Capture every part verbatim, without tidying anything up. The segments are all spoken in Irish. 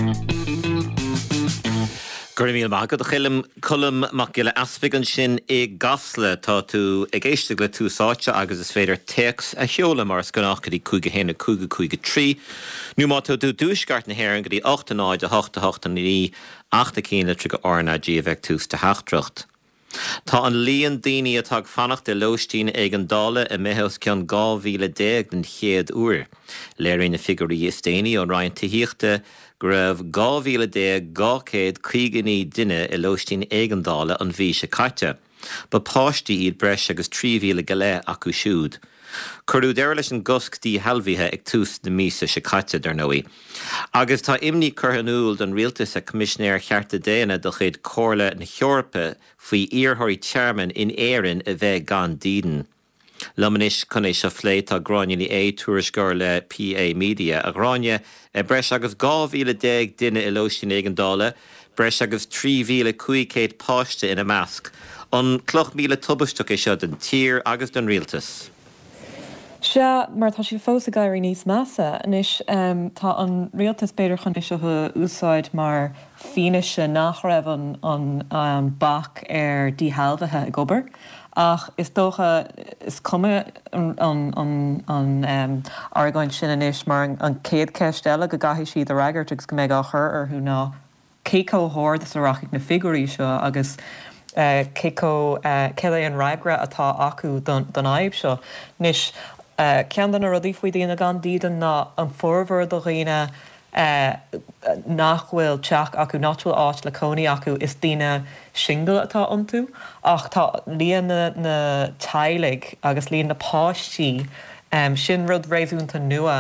Go raibh míle maith agat a Choilm Colm Mac Giolla Easpaig ansin i gCasla tá tú ag éisteacht le Tús Áite agus is féidir téacs a sheoladh mar is gnách go dtí cúig a haon a cúig a cúig a trí. Nó má tá tú i dtuaisceart na hÉireann go dtí ocht a náid a hocht a hocht a naoi ach na cinn litreacha RnaG a bheith tús do theachtaireacht. Tá an líon daoine atá ag fanacht i lóistín éigeandála imithe os cionn dhá mhíle déag den chéad uair. Léiríonn na figiúirí is déanaí ón Roinn Tithíochta go raibh dhá mhíle déag dhá chéad caoga naoi duine i lóistín éigeandála an mhí seo caite. Ba páistí iad breis agus trí mhíle go leith acu siúd. Cuireadh deireadh leis an gcosc díshealbhaithe ag tús na míosa seo caite dar ndóigh. Agus tá imní curtha in iúl don rialtas ag Coimisinéir Chearta Daonna de chuid Chomhairle na hEorpa faoi iarrthóirí tearmainn in Éirinn a bheith gan dídean. Liom anois chun é seo a phlé tá Gráinne Ní Aodha tuairisceoir le PA Media a Ghráinne breis agus dhá mhíle déag duine i lóistín éigeandála, breis agus trí mhíle cúig chéad páiste ina measc. An cloch míle tubaisteach é seo don tír agus don rialtas. Sea mar tá sé fós ag éirí níos measa anois um, tá an rialtas b'fhéidir chun seo a úsáid mar fianaise nach raibh an, an, an bac ar díshealbhaithe ag obair. Ach is dócha is cuma an, an, an, an um, argóint sin anois mar an, an chéad cheist eile go gcaithfidh siad a fhreagairt agus go mbeidh á chur orthu ná cé chomh hard is a rachaidh na figiúirí seo agus uh, cé chomh uh, cé an fhreagra atá acu don, don fhadhb seo. Anois uh, ceann de na rudaí faoi daoine gan dídean ná an formhór de dhaoine uh, nach bhfuil teach acu nach bhfuil áit le cónaí acu is daoine singil atá iontu ach tá líon na, na teaghlaigh agus líon na páistí um, sin rud réasúnta nua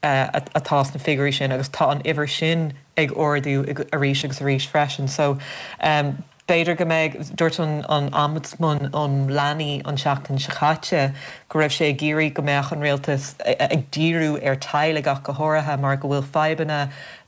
uh, atá sna figiúirí sin agus tá an uimhir sin ag ardú arís agus arís freisin. So um, B'fhéidir go mbeidh dúirt an an Ombudsman um Leanaí an seachtain seo caite go raibh sé ag iarraidh go mbeadh an rialtas ag díriú ar teaghlaigh ach go háirithe mar go bhfuil fadhbanna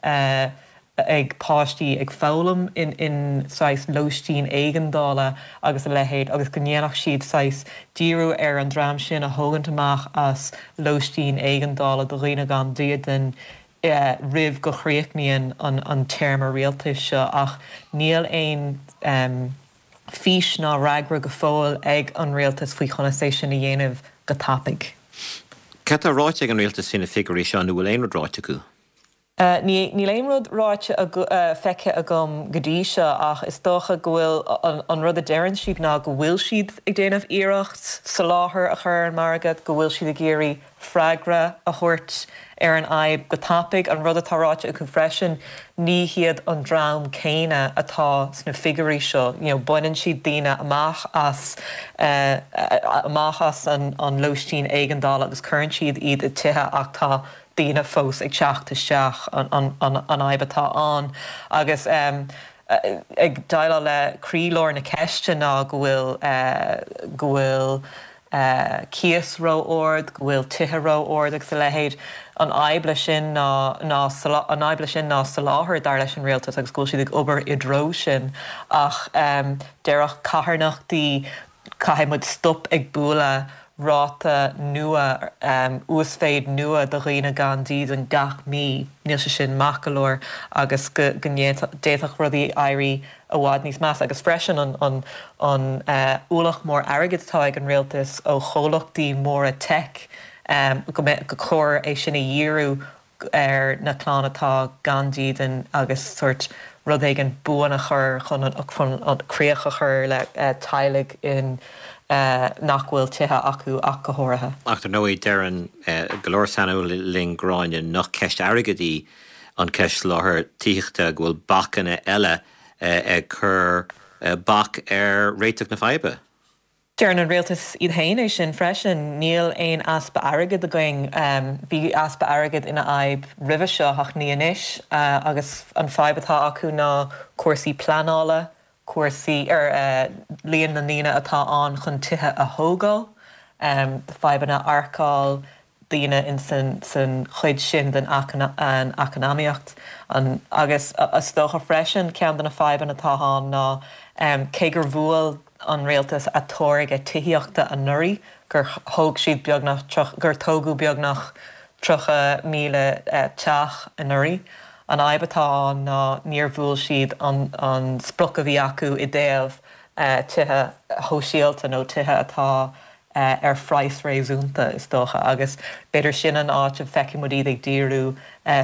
uh, ag páistí ag foghlaim in, in saghas lóistín éigeandála agus a leithéid agus go ndéanfadh siad saghas díriú ar an dream sin a thógaint amach as lóistín éigeandála do dhaoine gan dídean uh, roimh go gcríochnaíonn an, an téarma rialtais seo ach níl aon um, fís ná freagra go fóill ag an rialtas faoi chonas é sin a dhéanamh go tapaidh. Cad tá ráite ag an rialtas faoi na figiúirí seo nó bhfuil aon rud ráite acu? Uh, Níl aon rud ráite uh, feicthe agam go dtí seo ach is dócha go bhfuil an, an rud a deireann siad ná go bhfuil siad ag déanamh iarracht soláthar a chur an margadh, go bhfuil siad ag iarraidh freagra a thabhairt ar an fhadhb go tapaidh an rud atá ráite acu freisin ní hiad an dream céanna atá sna figiúirí seo, you know, baineann siad daoine amach as uh, amach as an, an lóistín éigeandála agus cuireann siad iad i tithe ach tá daoine fós ag teacht isteach an, an, an, an fhadhb atá ann agus um, ag déileáil le croílár na ceiste ná go bhfuil uh, go bhfuil uh, cíos ró-ard, go bhfuil tithe ró-ard agus a leithéid an fhadhb leis sin ná ná an fhadhb leis sin ná soláthar dar leis an rialtas agus go bhfuil siad ag obair i dtreo sin ach um, déarfadh carthanachtaí caithfidh muid stop ag bualadh ráta nua um, uasmhéid nua do dhaoine gan dídean gach mí níl sé sin maith go leor agus go d'fhéadfadh rudaí éirí i bhfad níos measa agus freisin an, an, an uh, ualach mór airgid atá ag an rialtas ó chomhlachtaí móra tech um, go, go chóir é sin a dhíriú ar na clanna atá gan dídean agus sort rud éigin buan a chur chun an, chun an críoch a chur le uh, teaghlaigh in uh, nach bhfuil tithe acu ach go háirithe. Ach dar ndóigh deireann uh, go leor saineolaithe linn Gráinne nach ceist airgid í an ceist soláthar tithíochta go bhfuil bacanna eile uh, ag cur uh, bac ar réiteach na faidhbe. Deireann an rialtas iad féin é sin freisin níl aon easpa airgid againn um, bhí easpa airgid ina fhadhb roimhe seo ach ní anois uh, agus an fhadhb atá acu ná cúrsaí pleanála, cúrsaí ar uh, líon na ndaoine atá ann chun tithe a thógáil, um, fadhbanna earcáil daoine in san, san chuid sin den an eacnamaíocht an, agus is dócha freisin ceann de na fadhbanna atá ann ná um, cé gur bhuail an rialtas a táirge tithíochta anuraidh gur thóg siad beagnach gur tógadh beagnach tríocha míle uh, teach anuraidh. An fhadhb atá ann ná níor bhuail siad an, an sprioc a bhí acu i dtaobh tithe shóisialta nó tithe atá ar phraghas réasúnta is dócha agus b'fhéidir sin an áit a bhfeicfidh muid iad ag díriú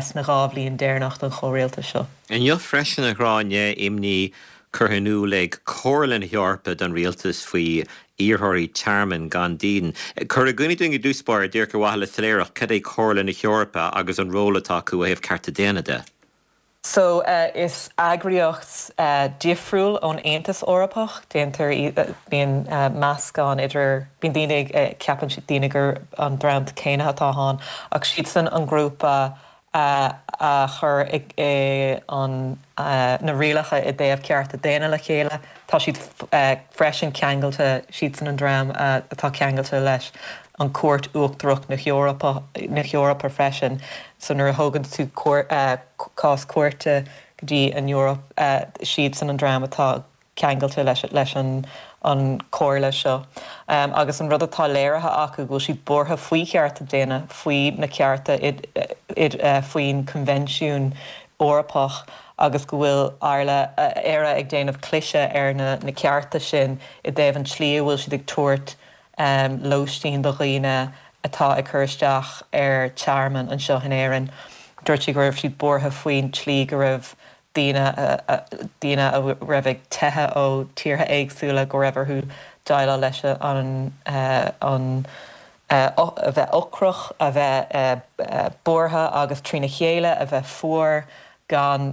sna dhá bhliain deireanach den chomhrialtas seo. Inniu freisin a Ghráinne imní curtha in iúl ag Comhairle na hEorpa don rialtas faoi iarrthóirí tearmainn gan dídean. Cuir i gcuimhne dúinn i dtús báire díreach ar mhaithe le soiléireacht, cad é Comhairle na hEorpa agus an ról atá acu ó thaobh cearta daonna de? So uh, is eagraíocht uh, difriúil ón Aontas Eorpach, déantar bíonn uh, meascán idir bíonn daoine uh, ceapann siad daoine gur an dream céanna atá ann ach siadsan an grúpa uh, a chur an uh, na rialacha i dtaobh cearta daonna le chéile, Tá siad uh, freisin ceangailte siadsan an dream uh, atá ceangailte leis an Cúirt Uachtarach na hEorpa na hEorpa freisin, so nuair a thugann tú uh, cás cúirte go dtí an Eoraip uh, siadsan an dream atá ceangailte leis leis an an chomhairle seo. Um, agus an rud atá léirithe acu go bhfuil siad buartha faoi chearta daonna faoi na cearta uh, faoin Convention Eorpach agus go bhfuil Éire Éire ag déanamh cliseadh ar na, na cearta sin i dtaobh an tslí a bhfuil siad ag tabhairt um, lóistín do dhaoine atá ag cur isteach ar tearmann anseo in Éirinn. Dúirt sí go raibh siad buartha faoin tslí go raibh daoine daoine a raibh ag teitheadh ó tíortha éagsúla go raibh orthu déileáil leis an an a bheith ocrach a bheith buartha agus trína chéile a bheith fuar gan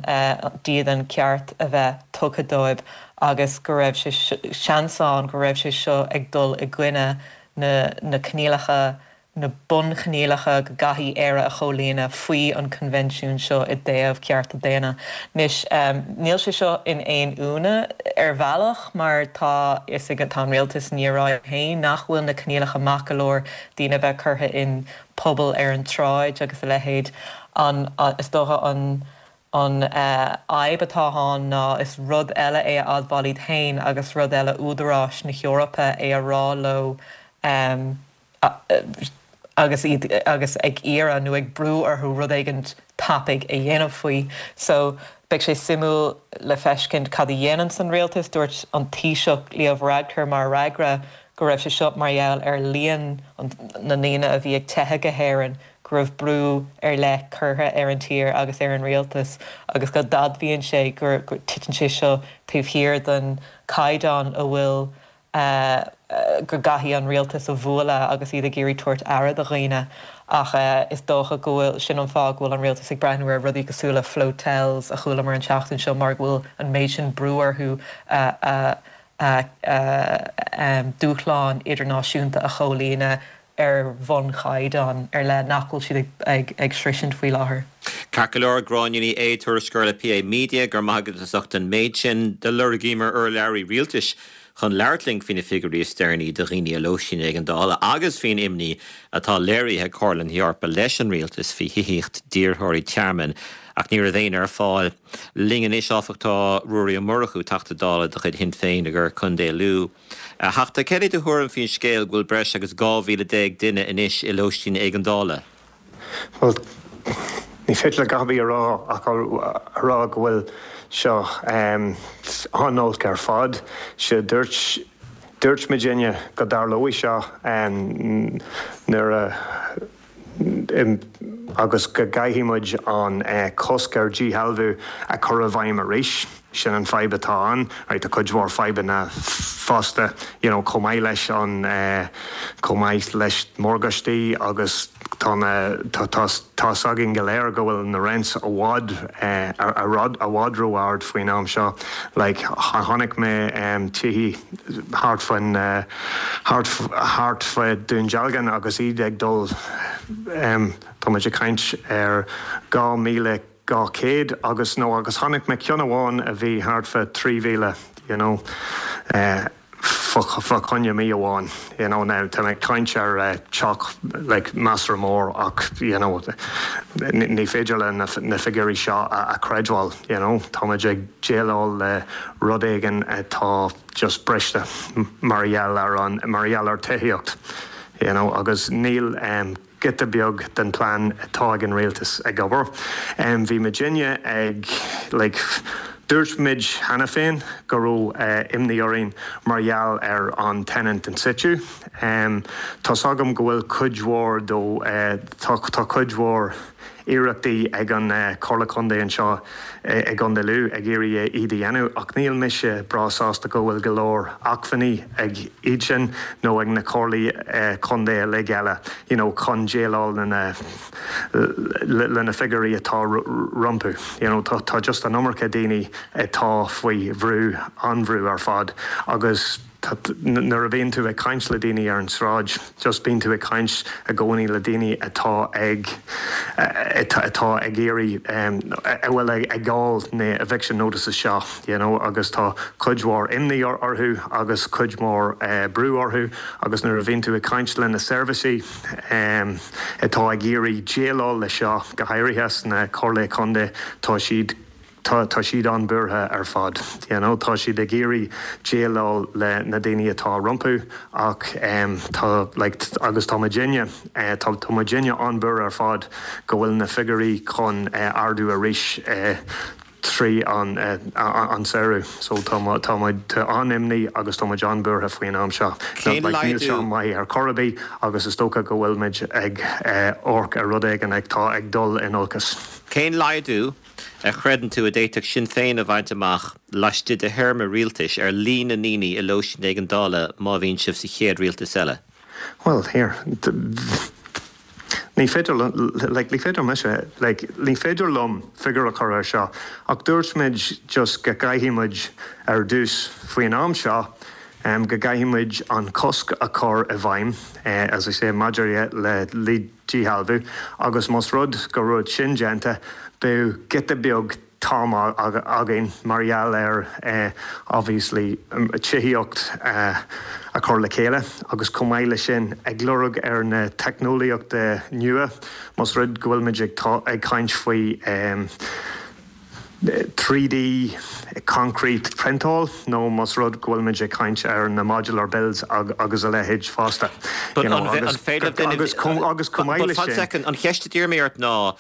dídean ceart a bheith tugtha dóibh agus go raibh sé seans ann go raibh sé seo ag dul i gcoinne na, na coinníollacha na bunchoinníollacha go gcaithfidh Éire a chomhlíonadh faoi an Convention seo i dtaobh cearta daonna. Anois um, níl sé seo in aon ionadh ar bhealach mar tá is ag tá rialtas ní rá féin nach bhfuil na coinníollacha maith go leor daoine bheith curtha in pobal ar an tsráid agus a leithéid an is dócha an an fhadhb uh, atá ann ná is rud eile é a admháil iad féin agus rud eile údaráis na hEorpa é a rá leo um, agus iad agus ag iarraidh nó ag brú orthu rud éigin tapaidh a dhéanamh faoi. So beidh sé suimiúil le feiscint cad a dhéanann san rialtas dúirt an Taoiseach Leo Varadkar mar fhreagra go raibh sé seo mar gheall ar líon na ndaoine a bhí ag teitheadh go hÉirinn, go raibh brú ar leith curtha ar an tír agus ar an rialtas agus go d'admhaíonn sé gur titeann sé seo taobh thiar den caighdeán a bhfuil uh, go gcaithfidh an rialtas a bhualadh agus iad ag iarraidh tabhairt aire do dhaoine ach uh, is dócha go bhfuil sin an fáth go bhfuil an rialtas ag breathnú ar rudaí cosúil le flotels a chuala mar an seachtain seo mar go bhfuil an méid sin brú orthu uh, uh, uh, uh, um, dúshlán idirnáisiúnta a chomhlíonadh ar bhunchaighdeán ar leith nach bhfuil siad ag, ag, ag sroichint faoi láthair. Ceart go leor Gráinne Ní Aodha tuairisceoir le PA Media gur maith as ucht an méid sin de lorgaíomar urlabhraí rialtais chun labhairt linn faoi na figiúirí is deireanaí do dhaoine i lóistín éigeandála agus faoin imní atá léirithe ag Comhairle na hEorpa leis an rialtas faoi thithíocht d'iarrthóirí tearmainn ach ní raibh éinne ar fáil. Linn anois áfach tá Ruairí Ó Murchú Teachta Dála de chuid Shinn Féin i gContae Lú. A Theachta cad é do thuairim faoin scéal go bhfuil breis agus dhá mhíle déag duine anois i lóistín éigeandála. Well, ní féidir le Gabi a rá ach a rá go bhfuil seo um, an-olc ar fad sé dúirt dúirt muidinne go dtarlóidh seo um, nuair a agus go gcaithfidh muid an uh, cosc ar dhíshealbhú a chur i bhfeidhm arís. Sin an fadhb atá ann, right, tá cuid mhór fadhbanna fosta you know, chomh maith leis an uh, chomh maith leis morgáistí agus tá tá againn go léir go bhfuil na rents i bhfad uh, a rud i bhfad ró-ard faoin am seo like, chonaic mé um, tithe thart faoin uh, thart fá Dún Dealgan agus iad ag dul um, Tá muid ag caint ar dhá míle dhá chéad agus nó agus chonaic mé ceann amháin a bhí thart fá trí mhíle you know, uh, fá choinne mí amháin you know, now tá mé caint ar uh, teach like, measartha mór ach you know, ní féidir le na, na figiúirí seo a, a chreidbheáil you know, Tá ag déileáil le rud éigin atá just briste mar gheall ar an mar gheall ar tithíocht. You know, agus níl um, giota beag den plean atá ag an rialtas ag obair. Um, bhí muidinne ag like, dúirt muid cheana féin go raibh uh, imní orainn mar gheall ar an tenant in situ. Um, tá agam go bhfuil cuid mhór dó uh, tá, tá cuid mhór iarrachtaí ag an uh, Comhairle Contae anseo uh, i gContae Lú ag iarraidh iad a dhéanamh ach níl mise breá sásta go bhfuil go leor acmhainní ag iad sin nó ag na comhairlí uh, contae uilig eile you know, chun déileáil lena lena figiúirí atá rompu. You know, tá, tá just an iomarca daoine atá faoi bhrú an-bhrú ar fad agus nuair a bhíonn tú ag caint le daoine ar an sráid, just bíonn tú ag caint i gcónaí le daoine atá ag atá ag iarraidh a bhfuil ag fáil na eviction notices seo, you know, agus tá cuid mhór imní orthu agus cuid mhór uh, brú orthu agus nuair a bhíonn tú ag caint le na seirbhísí um, atá ag iarraidh déileáil le seo go háirithe sna comhairlí contae tá siad tá tá siad an-bhuartha ar fad. You know, tá siad ag iarraidh déileáil le na daoine atá rompu ach um, tá like, agus tá muidinne uh, tá tá muidinne an-bhuartha ar fad go bhfuil na figiúirí chun uh, ardú arís uh, trí an uh, an samhradh so tá tá an-imní agus tá an-bhuartha faoin am seo seo maith ar chor ar bith agus is dócha go bhfuil muid ag amharc ar rud éigin ag tá ag dul in olcas. Cén laghdú a chreideann tú a d'fhéadfadh Sinn Féin a bhaint amach laistigh de théarma rialtais ar líon na ndaoine i lóistín éigeandála má bhíonn sibh sa chéad rialtas eile. Well here Ní féidir like, ní féidir mise like, ní féidir liom figiúr a chur ar seo ach dúirt muid just go gcaithfidh muid ar dtús faoin am seo um, go gcaithfidh muid an cosc a chur i bhfeidhm uh, as I say maidir le le díshealbhú agus más rud go raibh sin déanta bheadh giota beag t-am againn mar gheall ar uh, obviously um, tithíocht uh, a chur le chéile agus chomh maith le sin ag lorg ar na teicneolaíochtaí nua más rud go bhfuil muid ag ag caint faoi um, trí D concrete priontáil nó más rud go bhfuil muid ag caint ar na modular builds ag, agus a leithéid fosta. agus sin an cheist a mé ort ná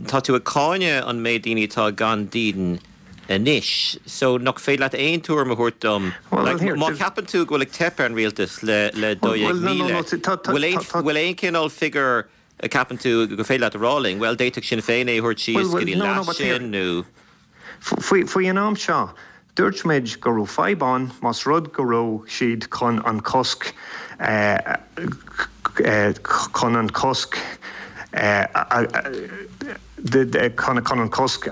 tá tú ag cáineadh an méid daoine atá gan dídean anois, so nach féidir leat aon tuairim a thabhairt dom má cheapann tú go bhfuil ag teip ar an rialtas le le dó míle bhfuil aon cineál figiúr a cheapann tú go féidir leat a rá linn, well d'fhéadfadh Sinn Féin é thabhairt síos go dtí leath sin nó. Faoi an am seo, dúirt muid go raibh fadhb ann más rud go raibh siad chun an cosc chun an cosc chun an cosc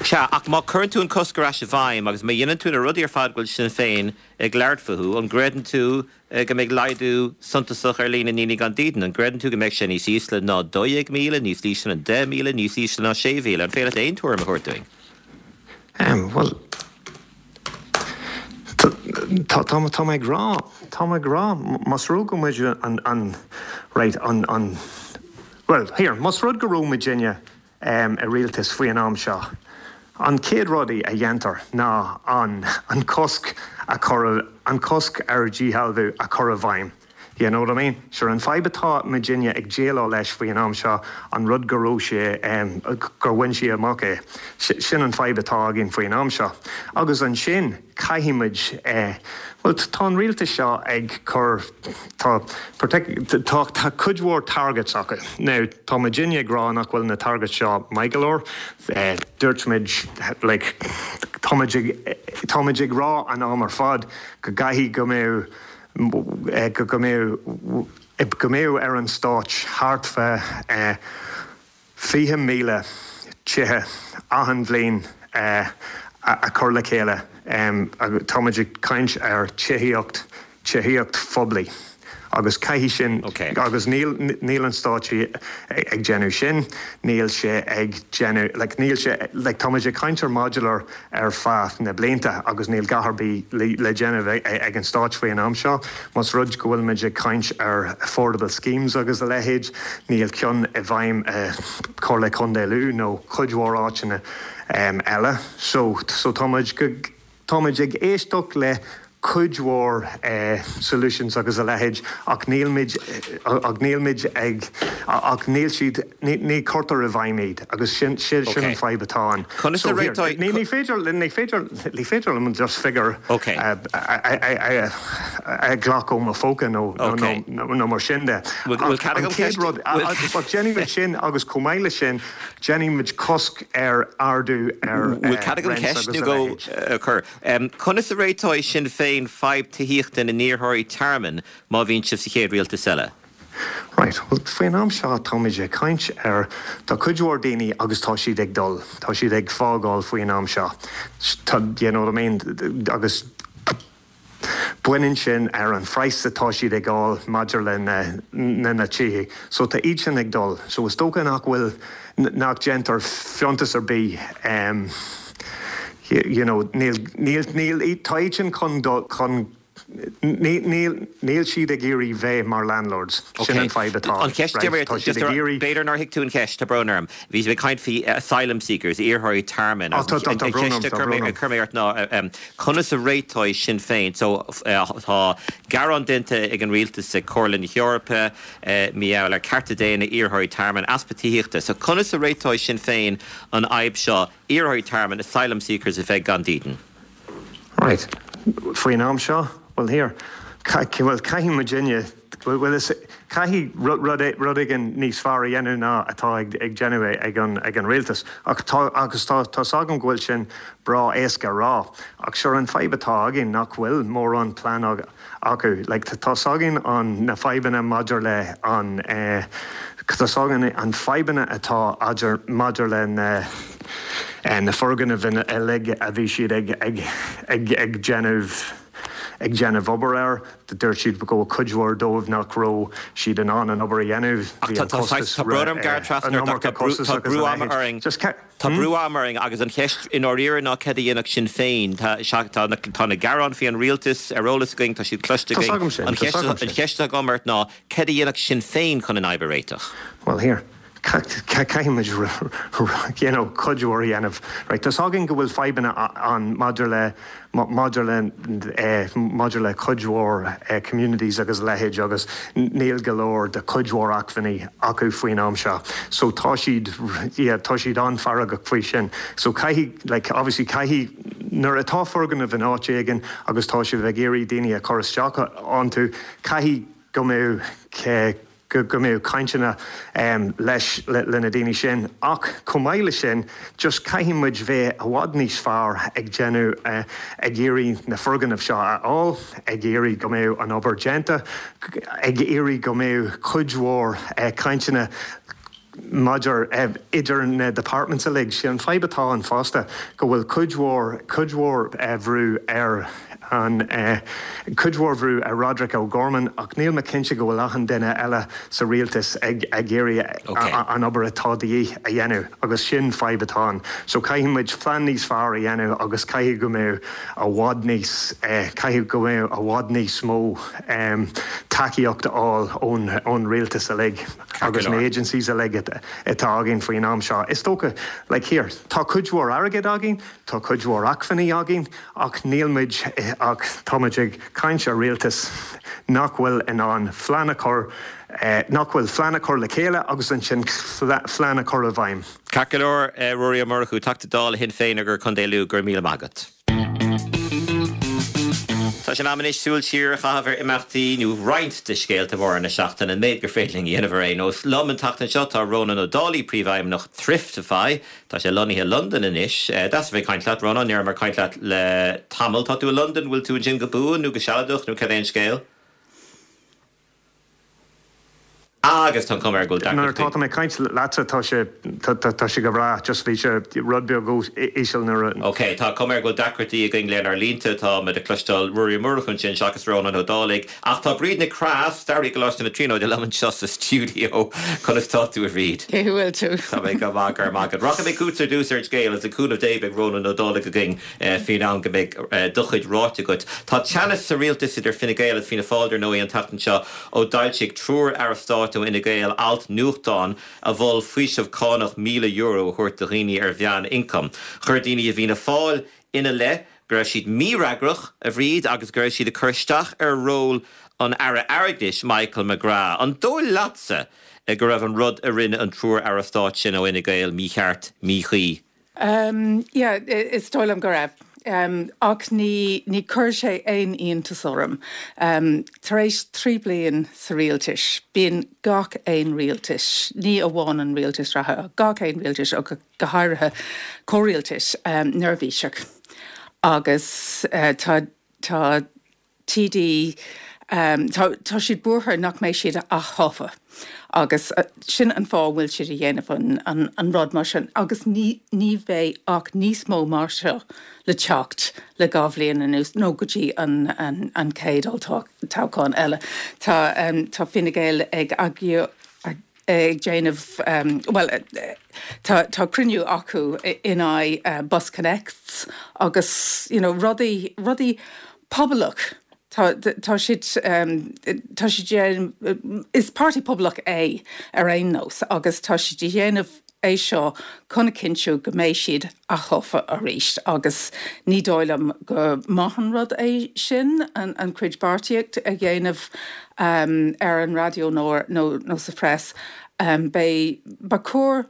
Sea ach má chuireann tú an cosc ar ais i bhfeidhm agus má dhéanann tú na rudaí ar fad go bhfuil Sinn Féin ag labhairt fúthu an gcreideann tú go mbeidh laghdú suntasach ar líon na ndaoine gan dídean, an gcreideann tú go mbeidh sé níos ísle ná dó dhéag míle, níos ísle ná deich míle, níos ísle ná sé mhíle, an féidir leat aon tuairim a thabhairt dúinn? Well tá tá ag rá tá ag rá más rud go muid an an right an an well here más rud go raibh muidinne um, i rialtas faoi an am seo. An chéad rudaí a dhéantar ná an an cosc a chur an cosc ar díshealbhú a chur i bhfeidhm. You know what I mean? Sure an fadhb atá muidinne ag déileáil leis faoi an am seo an rud go raibh sé um, gur bhain sí amach é. Sin an fadhb atá againn faoi an am seo. Agus ansin caithfidh muid eh, well tá an rialtas seo ag cur tá tá tá cuid mhór targets acu. Now tá muidinne ag rá nach bhfuil na targets seo maith go leor, eh, dúirt muid like, tá muid ag rá an am ar fad go gcaithfidh go mbeadh go go mbeadh go mbeadh ar an stát thart fá fiche míle tithe achan bhliain a chur le chéile. Tá muid ag caint ar tithíocht tithíocht phoiblí. Agus caithfidh sin agus níl níl an stát ag déanamh sin, níl sé ag déanamh like, níl sé like, tá muid ag caint ar modular ar feadh na blianta agus níl a dhath ar bith le, le déanamh ag, ag an stát faoi an am seo, Más rud go bhfuil muid ag caint ar affordable schemes agus a leithéid, níl ceann i bhfeidhm uh, Comhairle Contae Lú nó cuid mhór áiteanna um, eile. So, so tá muid go, tá muid ag éisteacht le cuid mhór eh, solutions agus a leithéid ach nílmid ach nílmid ag ach níl siad ní, ní cuirtear i bhfeidhm iad agus sin sin sin an fadhb atá ann. Conas So a here, réiteoidh- ní ní féidir ní féidir ní féidir liom just figure Okay. a ghlacadh ó mo phóca nó nó- Okay. nó nó mar sin de. Bhfuil- bhfuil cead An agam chéad ceist- rud bhfuil- ach déanfaimid sin agus chomh maith leis sin déanfaimid cosc ar ardú ar Bhfuil cead agam rents ceist agus nó a go leithéid. uh, chur. Um, Conas a réiteoidh Sinn Féin fadhb tithíochta na n-iarrthóirí tearmainn má bhíonn sibh sa chéad rialtas eile. Right, well faoin am seo táimid ag caint ar tá cuid mhór daoine agus tá siad ag dul, tá siad ag fágáil faoin am seo. Tá you know what I mean, agus baineann sin ar an phraghas atá siad ag fháil maidir le na, na na tithe. So tá iad sin ag dul. So is dócha nach bhfuil nach déantar fiontas ar bith um, you, you know, níl níl níl tá iad sin chun dul chun Níl níl níl siad ag iarraidh bheith mar landlords sin an fadhb atá An cheist right? Tá siad ag iarraidh B'fhéidir nár thuig tú an cheist tá brón orm. Bhí ag caint faoi asylum seekers, iarrthóirí tearmainn. Oh, tá- tá- tá brón orm, tá brón orm. Chuir mé ort ná um, conas a réiteoidh Sinn Féin, so uh, tá gearán déanta ag an rialtas ag Comhairle na hEorpa uh, mí le cearta daonna iarrthóirí tearmainn easpa tithíochta. So conas a réiteoidh Sinn Féin an fhadhb seo iarrthóirí tearmainn asylum seekers a bheith gan dídean. Right. Faoin am seo, well here, well caithfidh muidinne well is caithfidh rud rud éigin níos fearr a dhéanamh ná atá ag ag déanamh ag an ag an rialtas ach tá agus tá tá agam go bhfuil sin breá éasca rá ach sure an fadhb atá againn nach bhfuil mórán plean acu like tá againn an na fadhbanna maidir le an eh, tá againn an fadhbanna atá idir maidir le na eh, na foirgnimh uilig a bhí siad ag ag ag ag déanamh ag déanamh obair air dúirt siad go cuid mhór dóibh nach raibh siad in ann an obair a dhéanamh Tá brón orm gearradh trasna tá brú ama orainn Tá brú ama orainn agus an cheist in áirithe ná cad a dhéanfadh Sinn Féin tá tá na gearáin faoin rialtas ar eolas againn tá siad cloiste an cheist agam ort ná cad a dhéanfadh Sinn Féin chun an fhadhb a réiteach. Well here. Caithfimid you know, cuid mhór a dhéanamh. Right, Tá againn go bhfuil fadhbanna an maidir le maidir le eh, maidir le cuid mhór eh, communities agus leithéid agus níl go leor de cuid mhór acmhainní acu faoin am seo. So tá siad yeah, tá siad an-fhreagrach faoi sin. So caithfidh like, obviously caithfidh nuair atá foirgneamh in áit éigin agus tá sibh ag iarraidh daoine a chur isteach iontu caithfidh go mbeadh go go mbeadh cainteanna um, leis le, le na daoine sin ach chomh maith le sin just caithfidh muid bheith i bhfad níos fearr ag déanamh uh, ag iarraidh na foirgnimh seo a fháil ag iarraidh go mbeadh an obair déanta ag iarraidh go mbeadh cuid mhór uh, cainteanna maidir uh, idir na departments uilig sé an fadhb atá ann fosta go bhfuil cuid mhór cuid mhór uh, bhrú ar an uh, cuid mhór bhrú ar Roderick O'Gorman ach níl mé cinnte go bhfuil achan duine eile sa rialtas ag ag iarraidh Okay. an obair atá de dhíth a dhéanamh agus sin fadhb atá ann. So caithfidh muid plean níos fearr a dhéanamh agus caithfidh go mbeadh i bhfad níos eh, caithfidh go mbeadh i bhfad níos mó um, tacaíocht a fháil ón ón rialtas uilig agus na agencies uilig atá againn faoin am seo. Is dócha like here, tá cuid mhór airgead againn, tá cuid mhór acmhainní againn ach níl muid eh, ach táimid ag caint ar rialtas nach bhfuil in ann plean a chur eh, nach bhfuil plean a chur le chéile agus ansin plean a chur i bhfeidhm. Ceart go leor eh, Ruairí Ó Murchú Teachta Dála Shinn Féin ar Chontae Lú go raibh míle maith agat. Tá sé in am anois súil siar a chaitheamh ar imeachtaí nó roinnt de scéalta móra na seachtaine an méid gur féidir linn a dhéanamh ar aon nós. Liom an tseachtain seo tá Rónán Ó Dálaigh príomhfheidhmeannach Thriftify, Tá sé lonnaithe i Londain anois. Deas a bheith ag caint leat Rónán ní mar caint leat le tamall tá tú i Londain bhfuil tú ansin go buan nó go sealadach nó cad é an scéal? Agus tá cuma go Nuair atá mé ag caint leatsa tá sé tá sé go breá just bhí sé rud beag íseal nuair Ok, tá cuma go bhfuil deacrachtaí againn lenár línte tá muid ag cloisteáil Ruairí Ó Murchú ansin seachas Rónán Ó Dálaigh, ach tá Bríd Nic Craith, staraí Choláiste na Tríonóide liom anseo sa stiúideo conas tá tú a Bhríd. Cé bhfuil tú. Tá mé go maith go maith. Rachaidh mé chugat ar dtús ar scéal is le cúnamh Dé beidh Rónán Ó Dálaigh againn faoin am go mbeidh do chuid ráite agat. Tá teannas sa rialtas idir Fine Gael agus Fianna Fáil ar ndóigh an tseachtain seo ó d'fhoilsigh triúr aire stáit ó Fhine Gael alt nuachtáin a mhol faoiseamh cánach míle euro a thabhairt do dhaoine ar mheánioncam. Chuir daoine i bhFianna Fáil ina leith go raibh siad mífhreagrach, a Bhríd, agus go raibh siad ag cur isteach ar ról an Aire Airgeadais, Michael McGrath. An dóigh leatsa go raibh an rud a rinne an triúr Aire Stáit sin ó Fhine Gael mícheart, míchuí? Um, yeah, is dóigh liom go raibh. Um, ach ní, ní chuir sé aon iontas orm. Um, tar éis trí bliain sa rialtas, bíonn gach aon rialtas, ní amháin an rialtas reatha, gach aon rialtas ó go háirithe comhrialtas um, neirbhíseach. Agus uh, tá tá TD um, tá, tá siad buartha nach mbeidh siad aththofa. Agus uh, sin an fáth bhfuil siad ag déanamh an, an, an rud mar sin, agus ní, ní bheidh ach níos mó mar seo le teacht le dhá bhliain anuas nó go dtí an, an, an chéad toghchán eile. Tá, um, tá Fine Gael ag ag, ag déanamh um, well tá, tá cruinniú acu in aghaidh uh, BusConnects agus you know, rudaí rudaí pobalach Tá tá siad um, tá siad is páirtí pobalach é ar aon nós agus tá siad ag déanamh é seo chun a chinntiú go mbeidh siad aththofa arís agus ní dóigh liom go maith an rud é sin an, an chuid beartaíocht a dhéanamh um, ar an raidió nó, nó, nó sa press um, Ba ba chóir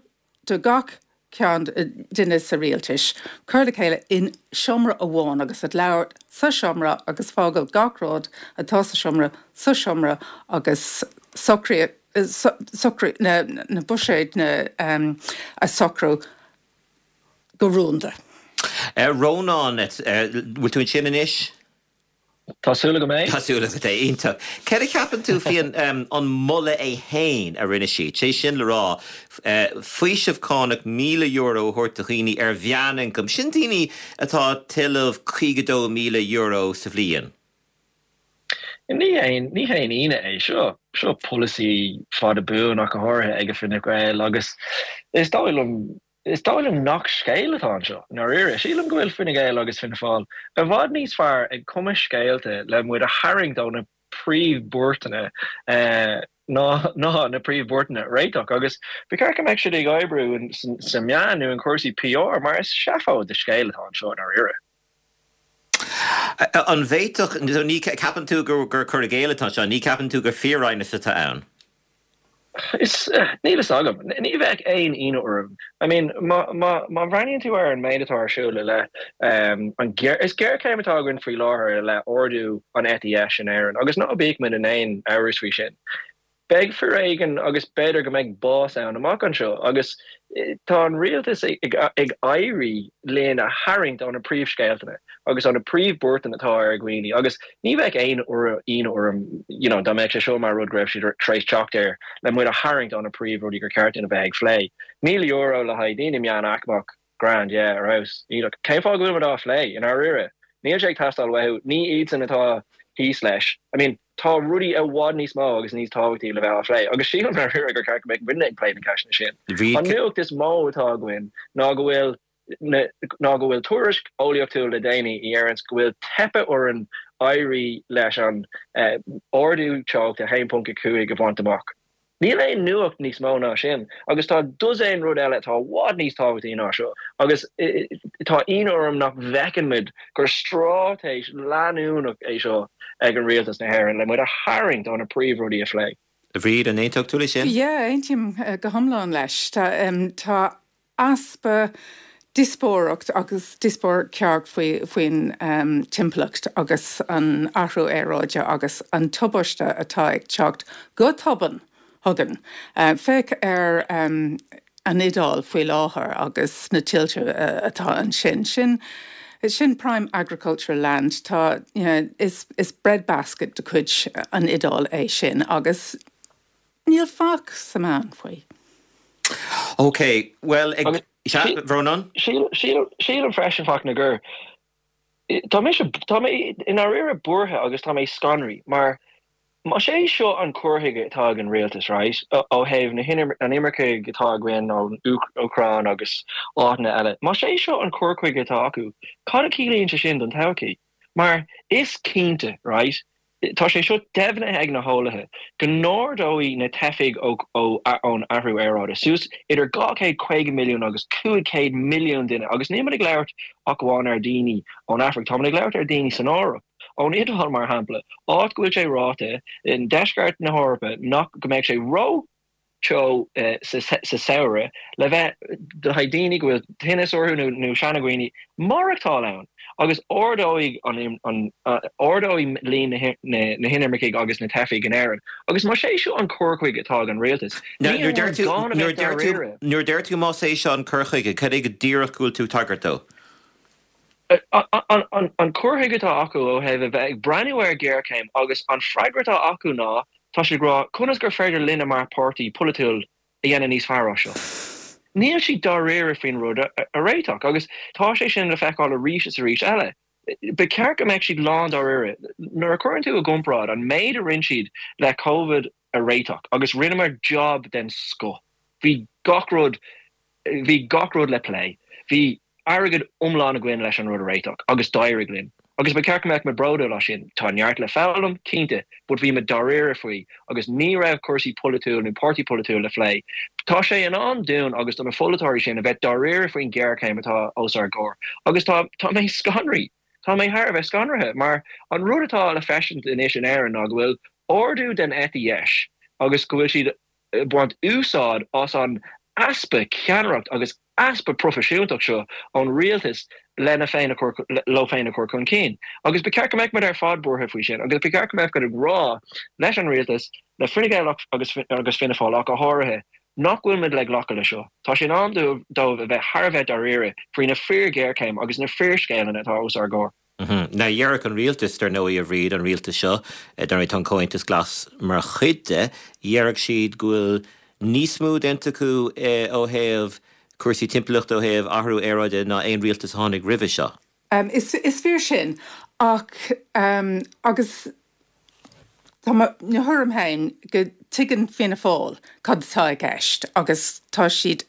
do gach ceann duine sa rialtas, cur le chéile in seomra amháin agus ag labhairt sa seomra agus fágáil gach rud atá sa seomra sa seomra agus socrú socrú na, na buiséid na um, a socrú go rúnda. Uh, Rónán, uh, bhfuil tú ansin anois? Tá súil agam é? Tá súil agat é iontach. Céard a cheapann tú faoin um, an moladh é féin a rinne siad, sé sin le rá uh, faoiseamh cánach míle euro a thabhairt do dhaoine ar mheánioncam, sin daoine atá ag tuilleamh caoga dó míle euro sa bhliain. Ní haon ní haon ionadh é seo seo polasaí fada buan ach go háirithe ag Fine Gael agus is dóigh liom is dóigh liom nach scéal atá anseo dáiríre. Sílim go bhfuil Fine Gael agus Fianna Fáil i bhfad níos fearr ag cumadh scéalta le muid a tharraingt ó na príomhbhuairteanna eh, ná ná na príomhbhuairteanna a réiteach agus ba cheart go mbeadh siad ag oibriú sa meán nó in cúrsaí PR mar is seafóid de scéal atá anseo dáiríre. An bhféadfadh ní ceapann tú gur gur cur i gcéill atá seo, ní ceapann tú gur fíoraighneas atá ann. Is níl a fhios agam, ní bheadh aon ionadh orm. I mean má má bhreathnaíonn tú ar an méid atá ar siúl le um, an is géarchéim atá againn faoi láthair le ardú an eite dheis in Éirinn, agus ná bíodh muid in aon amhras faoi sin. Beidh foréigean agus b'fhéidir go mbeidh bás ann amach anseo agus tá an rialtas ag, ag éirí linn a tharraingt ó na príomhscéalta agus ó na príomhbhuairteanna atá ar dhaoine agus ní bheadh aon ionadh orm you know, dá mbeadh sé seo mar rud go raibh siad tar éis teacht air le muid a tharraingt ó na príomhrudaí gur ceart dúinn a bheith ag plé. Míle euro le haghaidh daoine meánaicmeach grand yeah, ar fheabhas. Cén fáth go bhfuil muid á phlé i ndáiríre. Níl sé ag teastáil uathu ní iadsan atá thíos leis. I mean, tá rudaí i bhfad níos mó agus níos tábhachtaí le bheith á phlé, agus sílim dáiríre gur ceart go mbeadh muidne ag plé na ceisteanna sin. An nuacht is mó atá againn ná go bhfuil ná go bhfuil tuairisc eolaíochtúil le déanaí a deireann go bhfuil teipthe orainn éirí leis an eh, ardú teochta a haon ponc a cúig a bhaint amach. Níl aon nuacht níos mó ná sin, agus tá dosaen rud eile atá i bhfad níos tábhachtaí ná seo, agus tá ionadh orm nach bhfeiceann muid gur straitéis leanúnach é seo ag an rialtas na hÉireann le muid a tharraingt ó na príomhrudaí a phlé. A Bhríd, an aontódh tú leis sin? Yeah, aontaím go hiomlán leis. Tá, um, tá easpa díospóireacht agus díospóireacht ceart faoi faoin um, timpeallacht agus an athrú aeráide agus an tubaiste atá ag teacht go tobann chugainn. Uh, féach ar um, an Iodáil faoi láthair agus na tuilte uh, atá ansin. Sin sin prime agricultural land tá you know, is, is breadbasket de chuid an Iodáil é sin agus níl faic sa meán faoi. Ok, well ag Rónán? Sílim freisin Fachtna gur Tá mé tá mé i ndáiríre buartha agus tá mé scanraithe mar Más é seo an cur chuige atá ag an rialtas right ó thaobh na an imirce atá againn ón Úcráin agus áiteanna eile. Más é seo an cur chuige atá acu, cad a chiallaíonn sé sin don todhchaí? Mar is cinnte right Tá sé seo deimhnithe ag na heolaithe go n-ardóidh na teifigh ón athrú aeráide suas idir dhá chéad caoga milliún agus cúig chéad milliún duine, agus níl muid ag labhairt ach amháin ar dhaoine ón Afraic, tá muid ag labhairt ar dhaoine san Eoraip, ón Iodáil mar shampla, áit go bhfuil sé ráite i ndeisceart na hEorpa nach go mbeidh sé ró teo sa samhradh le bheith le haghaidh daoine go bhfuil tinneas orthu nó nó seanadhaoine maireachtáil ann agus ardóidh an an ardóidh líon na na hinimircigh agus na teifigh in Éirinn agus más é seo an cur chuige atá ag an rialtas ní Nuair deir tú gan a nuair bheith deir tú dáiríre. nuair deir tú más é seo an cur chuige cad é go díreach go bhfuil tú ag tagairt dó? An an an cur chuige atá acu ó thaobh a bheith ag breathnú ar ghéarchéim agus an freagra atá acu ná tá siad ag rá conas gur féidir linne mar pháirtí polaitiúil a dhéanamh níos fearr as seo. Níl siad dáiríre faoin rud a a réiteach agus tá sé sin le feiceáil arís is arís eile. Ba cheart go mbeadh siad lán dáiríre. Nuair a chuireann tú i gcomparáid an méid a rinne siad le Covid a réiteach agus rinneamar job den scoth. Bhí gach rud bhí gach rud le plé. Bhí airgead iomlán againn leis an rud a réiteach agus d'éirigh linn. Agus ba cheart go mbeadh muid bródúil as sin. Tá neart le foghlaim, cinnte, but bhí muid dáiríre faoi agus ní raibh cúrsaí polaitiúil nó páirtí polaitiúil le phlé. Tá sé in am dúinn agus do na polaiteoirí sin a bheith dáiríre faoin ghéarchéim atá os ár gcomhair. Agus tá tá mé scanraithe. Tá mé thar a bheith scanraithe mar an rud atá le feiscint anois in Éirinn ná go bhfuil ardú den eite dheis agus go bhfuil siad ag baint úsáid as an easpa ceannaireacht agus easpa proifisiúntacht seo ón rialtas lena féin a chur leo féin a chur chun cinn. Agus ba cheart go mbeadh muid ar fad buartha faoi sin, agus ba cheart go mbeadh muid ag rá leis an rialtas, le Fine Gael agus agus Fianna Fáil ach go háirithe, nach bhfuil muid le glacadh le seo. Tá sé in am dóibh a bheith thar a bheith dáiríre faoi na fíorghéarchéim agus na fíorscéileanna atá os ár gcomhair. Now déarfadh an rialtas dar ndóigh a Bhríd an rialtas seo dar ndóigh tá an Comhaontas Glas mar chuid de, déarfadh siad go bhfuil níos mó déanta acu ó thaobh cúrsaí timpeallachta ó thaobh athrú aeráide ná aon rialtas a tháinig roimhe seo. Um, is, is fíor sin ach um, agus Tá mo thuairim féin go dtuigeann Fianna Fáil cad atá i gceist agus tá siad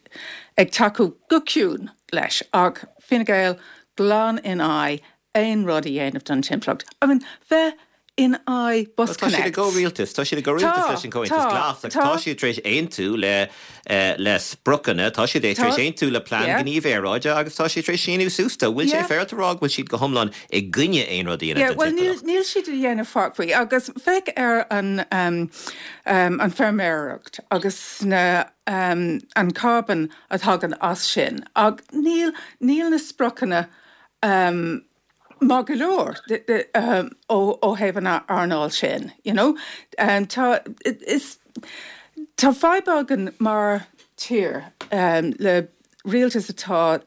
ag tacú go ciúin leis ach Fine Gael glan in aghaidh aon rud a dhéanamh don timpeallacht. I mean, bheith in aghaidh Bus Tá siad i Connect. gcomhrialtas, tá siad i gcomhrialtas leis an Comhaontas Glas agus tá siad tar éis aontú le le spriocanna, tá siad tar éis aontú le plean gníomh aeráide agus tá siad tar éis síniú suas dó. Bhfuil sé féaráilte a rá go bhfuil siad go hiomlán i gcoinne aon rud a dhéanamh Yeah, well níl níl siad a dhéanamh faic faoi agus féach ar an um, um, an feirmeoireacht agus na um, an carbon a thagann as sin. Ach níl níl na spriocanna um, maith go leor um, ó ó thaobh an earnáil sin, you know? Um, tá is tá fadhb againn mar tír um, le rialtas atá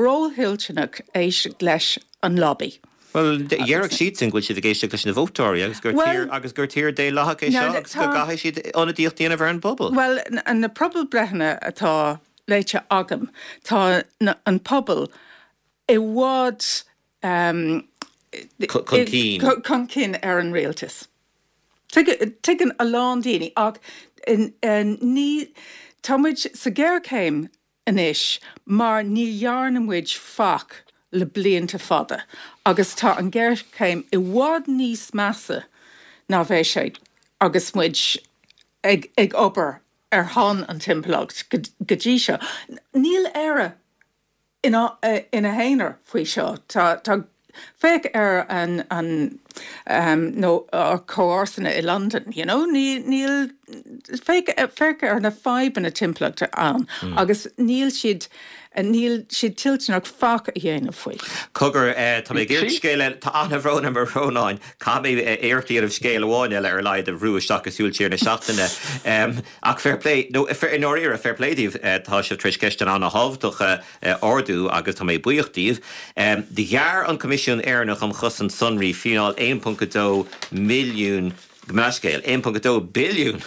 róthoilteanach éisteacht leis an lobby. Well déarfadh siad sin go bhfuil siad ag éisteacht leis na vótóirí agus gur tír agus gur tír daonlathach é seo agus go gcaithfidh siad ionadaíocht a dhéanamh ar an bpobal. Well an na pobalbhreitheanna atá léite agam tá na, an pobal i bhfad um, Chun cinn. chun cinn ar an rialtas. Tuigeann a lán daoine ach in, in, ní tá muid sa ghéarchéim anois mar ní dhearna muid faic le blianta fada agus tá an géarchéim i bhfad níos measa ná bheadh sé agus muid ag, ag obair ar son an timpeallacht go, go dtí seo. Níl Éire ina, ina haonar faoi seo. Tá, tá féach ar an, an um, nó ár comharsana i London, you know? Ní, níl féach, féach ar na fadhbanna timpeallachta ann mm. agus níl siad níl siad toilteanach faic a dhéanamh faoi. Cogar tá mé ag scéal tá an-bhrón orm a Rónáin caithfidh mé iarracht a dhéanamh scéal amháin eile ar a laghad a bhrú isteach i súil siar na seachtaine. Um, ach fair play nó i ndáiríre fair play daoibh tá sibh tar éis ceist an-thábhachtach ardú agus tá mé buíoch díobh. Um, Ghearr an Coimisiún Éireannach um Chosaint Sonraí fíneáil aon ponc dó milliún Gmascéil aon ponc dó billiún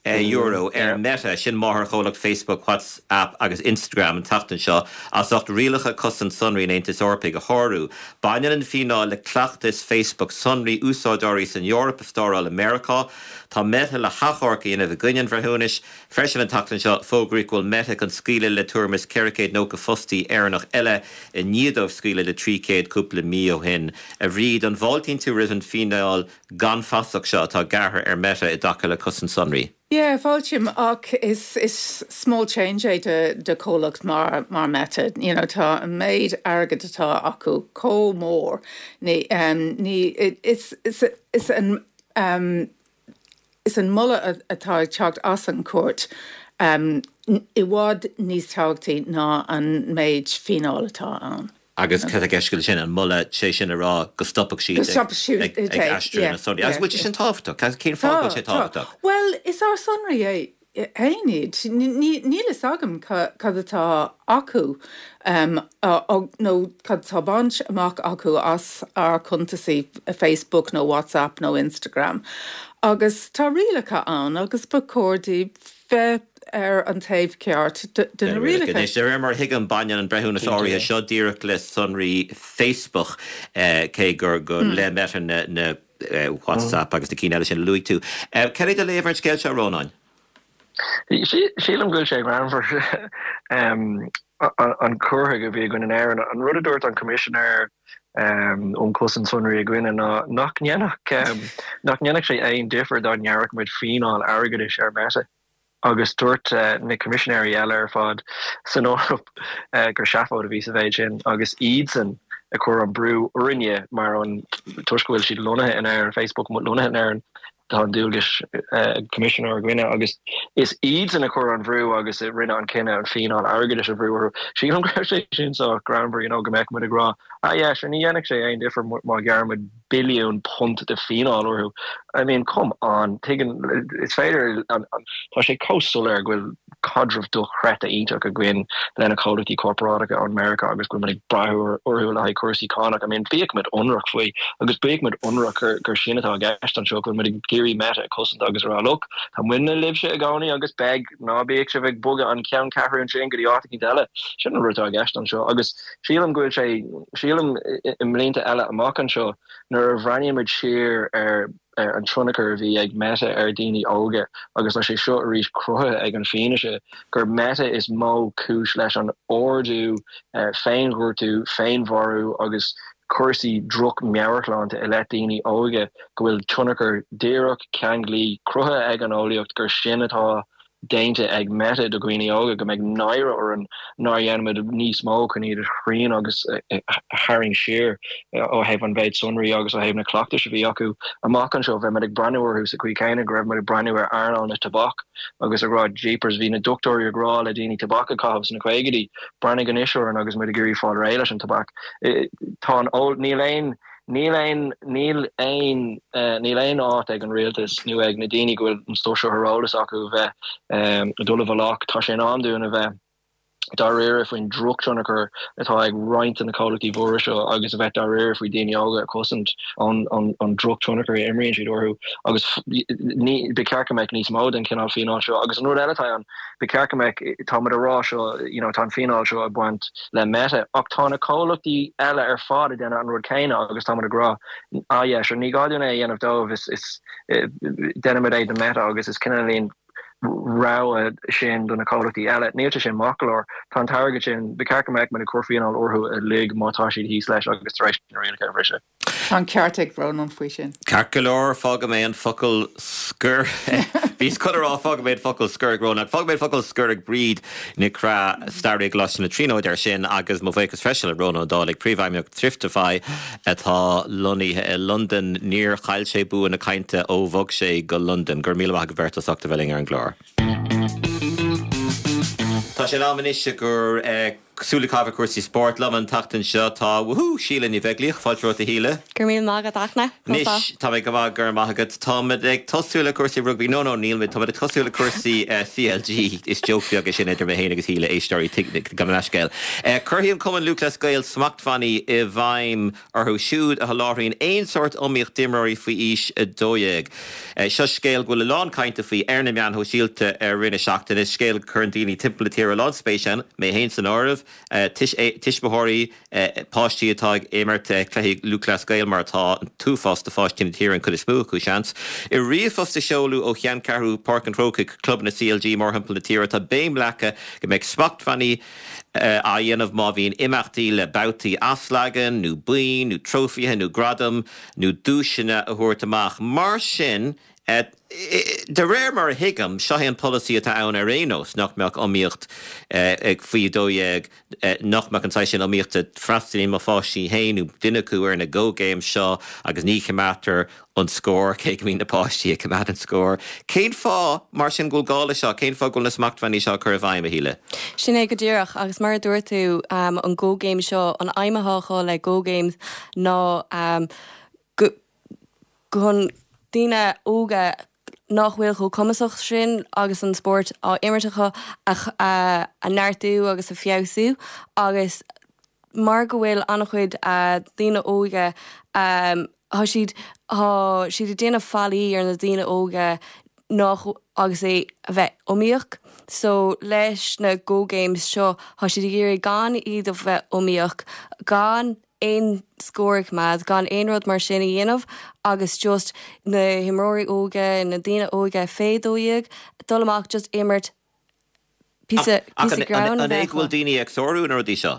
euro ar Meta, sin máthairchomhlacht Facebook, WhatsApp agus Instagram an tseachtain seo as ucht rialacha cosaint sonraí an Aontais Eorpaigh a shárú. Baineann an fíneáil le cleachtas Facebook sonraí úsáideoirí san Eoraip a stóráil i Meiriceá. Tá Meta le hachomharc a dhéanamh i gcoinne an bhreithiúnais. Freisin an tseachtain seo fógraíodh go bhfuil Meta chun scaoileadh le tuairim is ceithre chéad nócha fostaí Éireannach eile i ndiaidh dóibh scaoileadh le trí chéad cúpla mí ó shin. A Bhríd, an bhfáiltíonn tú roimh an fíneáil gan fasach seo atá gearrtha ar Meta i dtaca le cosaint sonraí? Yeah, fáiltím ach is is small change é de de comhlacht mar mar Meta. You know, tá an méid airgead atá acu chomh mór. Ní um, ní is is is an um, is an moladh atá ag teacht as an cúirt um, i bhfad níos tábhachtaí ná an méid fíneáil atá ann. Agus cad atá i gceist sin an moladh sé sin a rá go stopfadh siad ag aistriú na sonraí. Agus bhfuil sin tábhachtach, cén fáth sé tábhachtach? Well, is ár sonraí é iad. Níl fhios agam cad atá acu um, nó cad tá bainte amach acu as ár cuntasaí Facebook nó WhatsApp nó Instagram. Agus tá rialacha ann agus ba chóir dóibh bheith ar an taobh ceart de na rialacha. De réir mar a thuigim baineann an breithiúnas áirithe seo díreach le sonraí Facebook cé gur go le Meta na na WhatsApp agus na cinn eile sin luaigh tú. Cad é do léamh ar an scéal seo Rónáin? Sílim go bhfuil sé greannmhar an cur chuige a bhí againn in Éirinn. An rud a dúirt an Coimisinéir um Chosaint Sonraí againne ná nach ndéanfadh nach ndéanfadh sé aon difear dá ngearrfadh muid fíneáil airgeadais ar Meta. Agus dúirt na coimisinéirí eile ar fad san Eoraip gur seafóid a bhí sa mhéid sin agus iadsan a chuir an brú orainne mar an toisc go bhfuil siad lonnaithe in Éirinn, Facebook lonnaithe in Éirinn, tá an dualgas coimisinéir againne agus is iadsan a chuir an brú agus a rinne an cinneadh an fíneáil airgeadais a bhrú orthu. Sílim go raibh sé sin sách greannmhar you know, go mbeadh muid ag rá ah yeah, sure, ní dhéanfadh sé aon difear má ghearrann muid billiún punt de fíneáil orthu. I mean, come on, tuigeann is féidir tá sé chomh soiléir go bhfuil caidreamh dochreidte iontach againn lena comhlachtaí corparáideacha ón Meiriceá agus go bhfuil muid ag brath orthu le haghaidh cúrsaí cánach. I mean, bíodh muid ionraic faoi agus bíodh muid ionraic gur gur sin atá i gceist anseo go bhfuil muid ag iarraidh Meta a chosaint agus a rá look, tá muidne libhse i gcónaí agus beidh ná bíodh sibh ag bogadh an ceanncheathrú sin go dtí áit éicint eile. Sin an rud atá i gceist anseo agus sílim go bhfuil sé sílim i mblianta eile amach anseo nuair a bhreathnaíonn muid siar ar ar an tionchar a bhí ag Meta ar daoine óga agus tá sé seo arís cruthaithe ag an fianaise gur Meta is mó cúis leis an ardú féinghortú, féinmharú agus cúrsaí droch meabhairshláinte i leith daoine óga go bhfuil tionchar díreach ceanglaí cruthaithe ag an eolaíocht gur sin atá déanta ag Meta do dhaoine óga go mbeidh náire orainn nár dhéanfaimid níos mó chun iad a shrian agus a tharraingt siar ó thaobh an mhéid sonraí agus ó thaobh na cleachtais a bhí acu amach anseo bheith muid ag breathnú orthu sa chaoi chéanna go raibh muid ag breathnú ar earnáil na tobac agus ag rá jeepers bhí na dochtúirí ag rá le daoine tobac a chaitheamh sna caogaidí breathnaigh anois orainn agus muid ag iarraidh fáil réidh leis an tobac. Tá an níl aon Níl aon níl aon níl aon áit ag an rialtas nó ag na daoine go bhfuil an stuif seo ar eolas acu a bheith ag dul i bhfolach. Tá sé in am dúinn a bheith dáiríre faoin drochthionchar atá ag roinnt de na comhlachtaí mhóra seo agus a bheith dáiríre faoi daoine óga a chosaint ón an drochthionchar a imríonn siad orthu agus ní ba cheart go mbeadh níos mó den chineál fíneáil seo agus an rud eile atá ann ba cheart go mbeadh tá muid ag rá seo you know, tá an fíneáil seo ag baint le Meta ach tá na comhlachtaí eile ar fad ag déanamh an rud céanna agus tá muid ag rá ah yeah, sure, ní gá dúinn é a dhéanamh dóibh is is déanaimid é do Meta agus is cineál rogha sin do na comhlachtaí eile. Níl sé sin maith go leor. Tá an t-airgead sin ba cheart go mbeadh muid ag cur fíneáil orthu uilig má tá siad thíos leis agus tar éis na rialacha a bhriseadh. Tá an ceart ag Rónán faoi sin. Ceart go leor fágfaidh mé an focal scoir. Bhíos chun a rá fágfaidh mé an focal scoir ag Rónán. Fágfaidh mé an focal scoir ag Bríd Nic Craith staraí i gColáiste na Tríonóide ar sin agus mo bhuíochas freisin le Rónán Ó Dálaigh, príomhfheidhmeannach Thriftify atá lonnaithe i Londain. Níor chaill sé bua na cainte ó bhog sé go Londain. Go raibh míle maith agaibh beirt as ucht a bheith linn ar an gclár. Tá sé in am anois gur Súil ag caitheamh ar cúrsaí spóirt liom an tseachtain seo tá woohoo Síle Ní Bheaglaoich fáilte romhat a Shíle. Go raibh míle maith agat a Fhachtna. Anois tá mé go maith go raibh maith agat. Táimid ag tosú le cúrsaí rugbaí no no níl táimid ag tosú le cúrsaí CLG is joke beag é sin idir mé féin agus Shíle éisteoirí gabh mo leithscéal. Cuirfidh an Cumann Lúthchleas Gael smachtbhannaí i bhfeidhm orthu siúd a sholáthraíonn aon sórt iomaíocht d'imreoirí faoi aois a dó dhéag. Seo scéal go bhfuil a lán cainte faoi ar na meáin shóisialta ar rith na seachtaine, scéal cuireann daoine timpeall na tíre a lán spéis ann, mé féin san áireamh. tuismitheoirí páistí atá ag imirt cluichí Lúthchleas Gael mar atá an t-uafás de pháistí na tíre an chuid is mó acu seans. I ríomhphost a seoladh ó cheanncheathrú Páirc an Chrócaigh clubanna CLG mórthimpeall na tíre tá béim leagtha go mbeidh smachtbhannaí á dhéanamh má bhíonn imeachtaí le babhtaí athleagan nó boinn nó trófaithe nó gradaim nó duaiseanna a thabhairt amach. Mar sin De réir mar a thuigim, seo é an polasaí atá ann ar aon nós, nach mbeadh iomaíocht faoi a dó dhéag, nach mbeadh an saghas sin iomaíochta. Freastalaíonn mo pháistí féin nó duine acu ar na Go Games seo agus ní choimeádtar an scór, cé go mbíonn na páistí ag coimeád an scór. Cén fáth, mar sin, go bhfuil gá leis seo? Cén fáth go bhfuil na smachtbhannaí seo á cur i bhfeidhm, a Shíle? Sin é go díreach, agus mar a dúirt tú, an Go Games seo, an aidhm atá acu le Go Games ná go, chun daoine óga nach bhfuil chomh cumasach sin agus an spórt á imirt acu a neartú agus a feabhsú agus mar go bhfuil an-chuid daoine óga tá siad tá siad ag déanamh faillí ar na daoine óga nach agus é a bheith iomaíoch so leis na Go Games seo tá siad ag iarraidh gan iad a bheith iomaíoch gan aon scór a choimeád, gan aon rud mar sin a dhéanamh agus just na himreoirí óga, na daoine óga fé dó dhéag, dul amach just imirt píosa Ach píosa greann a an é bheith go bhfuil acu. daoine ag sárú na rudaí seo,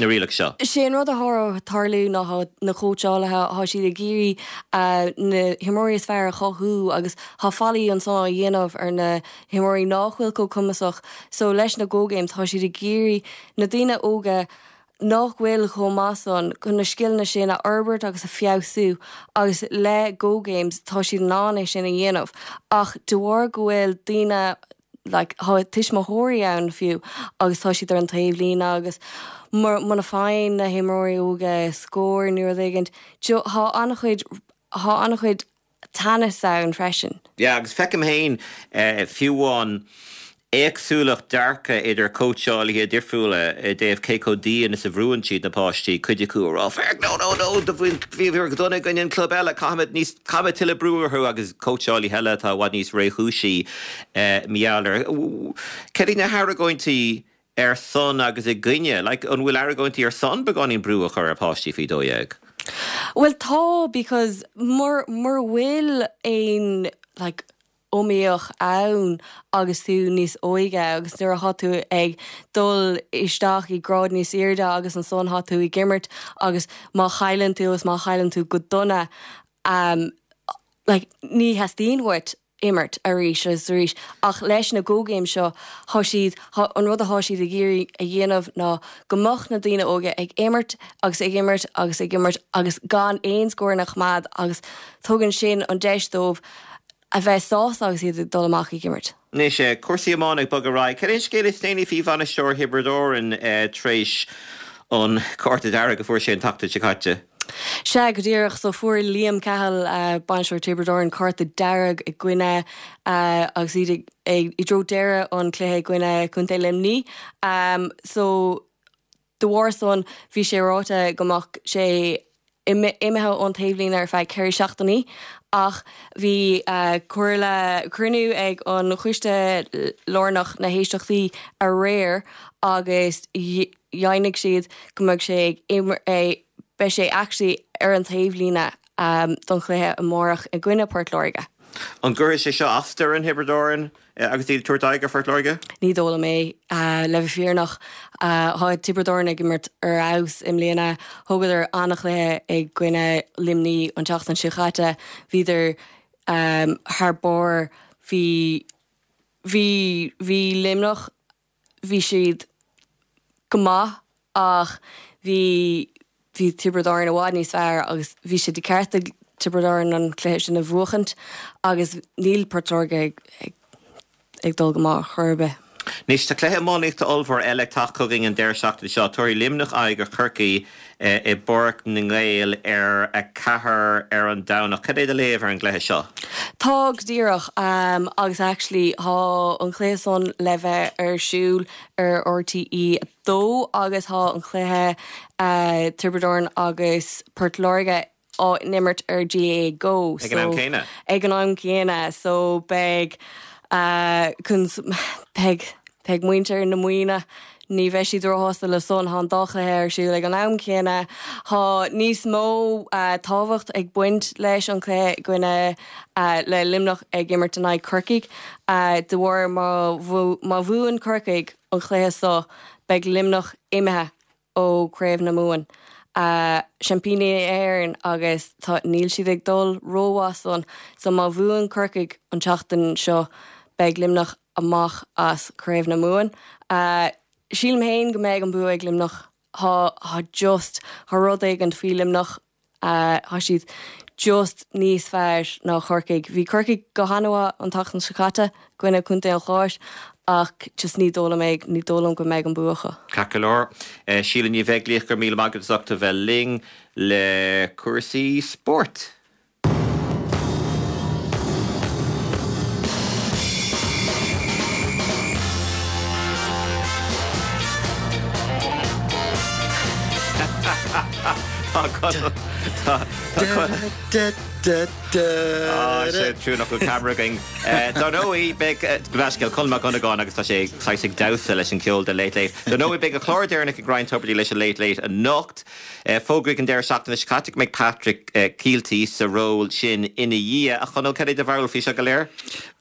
na rialacha seo? Sé an rud atá ag tarlú ná tá na cóitseálaithe, tá siad ag iarraidh na himreoirí is fearr a chothú agus tá faillí ansan á dhéanamh ar na himreoirí nach bhfuil chomh cumasach so leis na Go Games tá siad ag iarraidh na daoine óga nach bhfuil chomh maith san chun na scileanna sin a fhorbairt agus a feabhsú agus le Go Games tá siad in ann é sin a dhéanamh ach de bharr go bhfuil daoine like tá tuismitheoirí ann fiú agus tá siad ar an taobhlíne agus muna faigheann na himreoirí óga scór nó rud éigin tá an-chuid tá an-chuid teannas ann freisin. Yeah, agus feicim féin fiú amháin éagsúlacht dearcadh idir cóitseálaithe difriúla i dtaobh cé chomh dian is a bhrúann siad na páistí, cuid acu ag rá féach no no no do bhíomar go dona i gcoinne an club eile, caithfimid níos caithfimid tuilleadh brú orthu agus cóitseálaithe eile atá i bhfad níos réchúisí mar gheall air. Cad iad na hargóintí ar son agus i gcoinne? Like, an bhfuil argóintí ar son beagáinín brú a chur ar pháistí faoi dó dhéag? Bhuel tá because mura mura bhfuil aon like iomaíocht ann agus tú níos óige agus nuair atá tú ag dul isteach i grád níos airde agus ansan tá tú ag imirt agus má chailleann tú agus má chailleann tú go dona um, like, ní theastaíonn uait imirt arís agus arís ach leis na Go Games seo tá siad an rud atá siad ag iarraidh a dhéanamh ná go mbeadh na daoine óga ag imirt agus ag imirt agus ag imirt agus gan aon scór a choimeád agus tugann sin an deis dóibh a bheith sásta agus iad ag dul amach ag imirt. Anois, cúrsaí iomána ag bogadh ar aghaidh. Cad é an scéal is déanaí faoi bhainisteoir Thiobraid Árann tar éis an cárta dearg a fuair sé an tseachtain seo caite? Sea, go díreach. So fuair Liam Cahill, bainisteoir Tiobraid Árann, cárta dearg i gcoinne agus iad ag i dtreo deireadh an chluiche i gcoinne Contae Luimní. So de bharr san bhí sé ráite go mbeadh sé imithe ón taobhlíne ar feadh ceithre seachtainí ach bhí comhairle cruinniú ag an Choiste Lárnach na hÉisteachtaí aréir agus dheimhnigh siad go mbeidh sé ag beidh sé actually ar an taobhlíne don chluiche amárach i gcoinne Port Láirge. An gcuirfidh sé seo as d'fhoireann Thiobraid Árann agus iad ag tabhairt aghaidh ar Phort Láirge? Ní dóigh liom é, le bheith fírinneach. Tá Tiobraid Árann ag imirt ar fheabhas i mbliana. Thógadar an-chluiche i gcoinne Luimní an tseachtain seo chaite. Bhíodar thar barr. Bhí bhí bhí Luimneach bhí siad go maith ach bhí bhí Tiobraid Árann i bhfad níos fearr agus bhí sé de cheart ag Tiobraid Árann an cluiche sin a bhuachaint agus níl Port Láirge ag ag ag dul go maith chor ar bith. Anois tá cluiche iománaíochta ollmhór eile ag teacht chugainn an deireadh seachtaine seo. Tabharfaidh Luimneach aghaidh ar Chorcaigh i bPáirc na nGael ar a ceathair ar an Domhnach. Cad é do léamh ar an gcluiche seo? Tá go díreach agus actually tá an cluiche san le bheith ar siúl ar RTÉ a dó agus tá an cluiche Tiobraid Árann agus Port Láirge á n-imirt ar GAA Go. Ag an am céanna? Ag an am céanna so beidh beidh beidh muintir na Muimhne ní bheidh siad róshásta le san tá an dá chluiche ar siúl ag an am céanna. Tá níos mó tábhacht ag baint leis an chluiche i gcoinne le Luimneach ag imirt in aghaidh Corcaigh de bharr má má bhuann Corcaigh an chluiche seo beidh Luimneach imithe ó Chraobh na Mumhan. Seaimpíní na hÉireann agus tá níl siad ag dul rómhaith san so má bhuann Corcaigh an tseachtain seo beidh Luimneach amach as Craobh na Mumhan. Sílim féin go mbeidh an bua ag Luimneach tá tá just tá rud éigin faoi Luimneach tá siad just níos fearr ná Corcaigh. Bhí Corcaigh go han-mhaith an tseachtain seo caite i gcoinne Contae an Chláir ach just ní dóigh liom é ní dóigh liom go mbeidh an bua acu. Ceart go leor. Síle Ní Bheaglaoich go raibh míle maith agat as ucht a bheith linn le cúrsaí spóirt. Tá Tá sé trua nach bhfuil ceamara againn. Dar ndóigh beidh leithscéal Colm Mac Dhonnagáin agus tá sé saghas ag damhsa leis an ceol de Late Late. Dar ndóigh beidh a chlár deireanach ag Ryan Tubridy leis an Late Late anocht. Fógraíodh an deireadh seachtaine seo caite go mbeidh Patrick Kielty sa ról sin ina dhiaidh. A Chonaill, cad é do bharúil faoi seo go léir?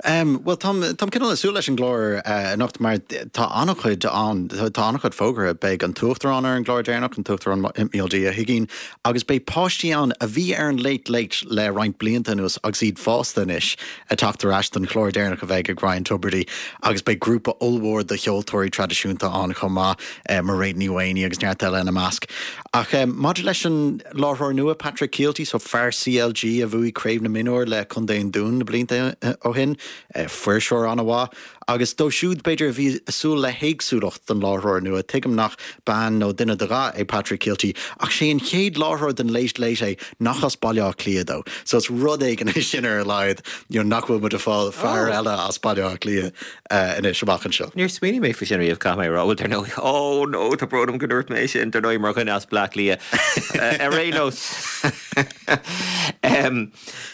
Bhuel táim cineál ag súil leis an gclár anocht mar tá an-chuid ann, tá an-chuid fógartha. Beidh an tUachtarán ar an gclár deireanach, an tUachtarán Micheál D. Ó hUigínn, agus beidh páistí ann a bhí ar an Late Late le roinnt blianta anuas agus iad fásta anois ag teacht ar ais don chlár deireanach a bheidh ag Ryan Tubridy agus beidh grúpa ollmhór de cheoltóirí traidisiúnta ann chomh maith, Mairéad Ní Mhaonaigh agus neart eile ina measc. Ach maidir leis an láithreoir nua Patrick Kielty, so fear CLG a bhuaigh Craobh na Mionúr le Contae an Dúin na blianta ó shin, fuirseoir an-mhaith, agus dóibh siúd b'fhéidir a bhí ag súil le héagsúlacht don láithreoir nua, tuigim nach bean nó duine de dhath é Patrick Kielty, ach sé an chéad láithreoir den Late Late é nach as Baile Átha Cliath dó. So is rud éigin é sin ar a laghad, you know, nach bhfuil muid ag fáil fear oh. eile as Baile Átha Cliath uh, anois amach anseo. Níor smaoinigh mé faoi sin riamh caithfidh mé a rá bhuel dar ndóigh oh no tá brón orm go ndúirt mé sin dar ndóigh mar dhuine as Bleá Cliath ar aon nós. um,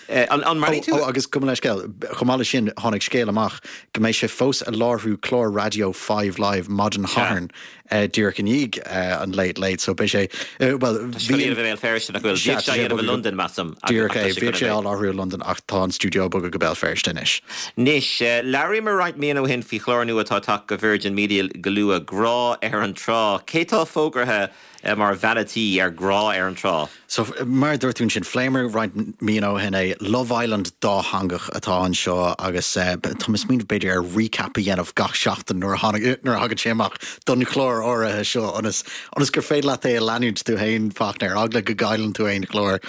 an, an mar tú? Oh, agus gabh mo leithscéal chomh maith leis sin tháinig scéal amach go mbeidh sé fós ag láithriú clár raidió Five Live maidin Shathairn uh, díreach i ndiaidh uh, an Late Late so beidh sé uh, well bhí Béal Feirste nach bhfuil bhí sé i London measaim Díreach é bhí sé á láithriú i London ach tá an stiúideo bogtha go Béal Feirste anois. Anois labhraíomar roinnt míonna ó shin faoi chlár nua atá ag teacht go Virgin Media go luath Grá ar an Trá. Cé tá fógartha mar bhean an tí ar Grá ar an Trá? So mar dúirt tú ansin phléamar roinnt míonna ó shin é Love Island dátheangach atá anseo agus uh, tá mé ag smaoineamh b'fhéidir ar recap a dhéanamh gach seachtain nuair nuair a thagann sé amach don chlár áirithe seo ionas ionas gur féidir leat é a leanúint tú féin Fachtna ar eagla go gcailleann tú aon chlár.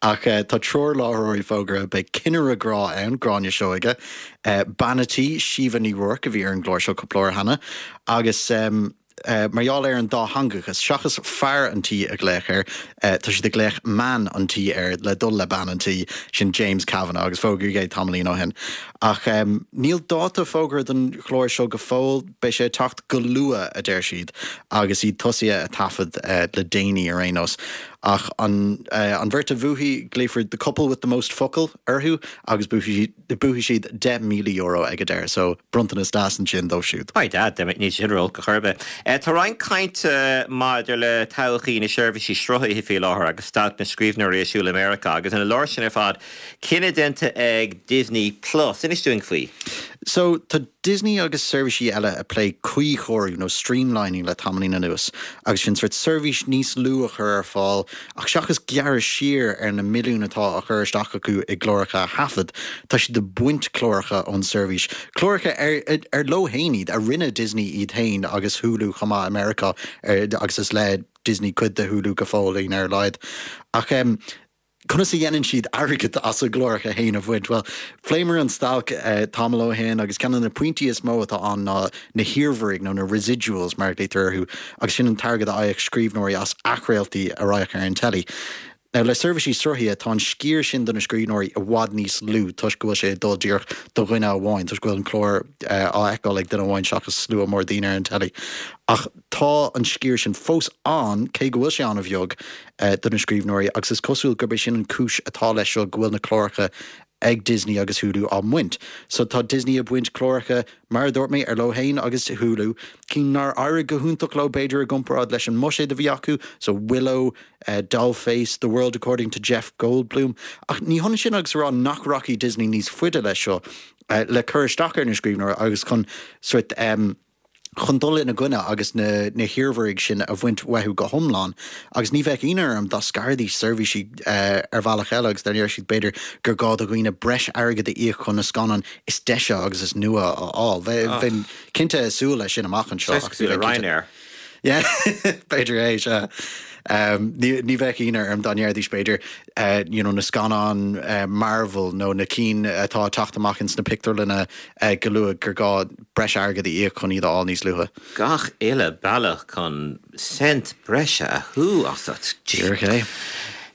Ach uh, tá triúr láithreoirí fógartha beidh cinnire grá ann Gráinne Seoige, uh, bean an tí Síomha Ní Ruairc a bhí ar an gclár seo cúpla uair cheana agus um, Uh, mar gheall ar an dátheangachas seachas fear an tí a ghlaoch air uh, tá siad ag glaoch man an tí air le dul le bean an tí sin James Kavanagh agus fógraíodh é tamaillín ó shin. Ach um, níl dáta fógartha don chlár seo go fóill beidh sé ag teacht go luath a deir siad agus iad tosaithe ag taifead uh, le déanaí ar aon nós. Ach an, uh, an bheirt a bhuafaidh glaofar the couple with the most focal orthu agus buafaidh siad deich míle euro ag an deireadh, so bronntanas deas ansin dóibh siúd. By dad, níl sin ró-olc ar chor ar bith. Tá roinnt cainte maidir le todhchaí na seirbhísí sruthaithe faoi láthair agus stailc na scríbhneoirí ar siúl i Meiriceá agus ina lár sin ar fad cinneadh déanta ag Disney Plus. Inis dúinn faoi. So tá Disney agus seirbhísí eile ag plé cuíchóiriú nó streamlining le tamaillín anuas, agus sin sórt seirbhís níos lú a chur ar fáil, ach seachas gearradh siar ar na milliúin atá á chur isteach acu i gcláracha a thaifead, tá siad ag baint cláracha ón seirbhís. Cláracha ar, ar leo féin iad, a rinne Disney iad féin agus Hulu chomh maith i Meiriceá, agus is le Disney cuid de Hulu go fóillín ar a laghad. Ach um, Conas a dhéanann siad airgead as a gcláracha féin a bhaint? Bhuel, phléamar an stailc tamall ó shin agus ceann de na pointí is mó atá ann ná na hiarmhairigh nó na residuals mar a ghlaotar orthu agus sin an t-airgead a fhaigheadh scríbhneoirí as athchraoltaí a raghadh ar an teilí. Now le seirbhísí sruthaithe tá an sciar sin do na scríbhneoirí i bhfad níos lú toisc go bhfuil sé ag dul díreach do dhuine amháin, toisc go bhfuil an clár á fheiceáil ag duine amháin seachas slua mór daoine ar an teilí. Ach tá an sciar sin fós ann, cé go bhfuil sé an-bheag, do na scríbhneoirí agus is cosúil gurb é sin an cúis atá leis seo go bhfuil na cláracha ag Disney agus Hulu á mbaint. So tá Disney ag baint cláracha, mar a dúirt mé, ar leo féin agus Hulu, cinn nár éirigh go hiontach leo b'fhéidir i gcomparáid leis an mbuiséad a bhí acu, so Willow, Dollface, The World According to Jeff Goldblum. Ach ní hionann sin agus a rá nach rachaidh Disney níos faide leis seo le cur isteach ar na scríbhneoirí agus chun sort chun dul ina gcoinne agus na na hiarmhairigh sin a bhaint uathu go hiomlán. Agus ní bheadh ionadh orm dá scarfaidís seirbhísí ar bhealach eile agus dá ndéarfadh siad b'fhéidir gur gá do dhaoine breis airgid a íoc chun na scannáin is deise agus is nua a fháil. Bheinn cinnte ag súil leis sin amach anseo. Saghas cosúil le Ryanair. Yeah, b'fhéidir é, sea. Ní ní bheadh ionadh orm dá ndéarfaidís b'fhéidir you know na scannáin Marvel nó na cinn atá ag teacht amach ins na pictiúrlanna go luath gur gá breis airgid a íoc chun iad a fháil níos luaithe. Gach uile bealach chun cent breise a shú asat. Díreach é.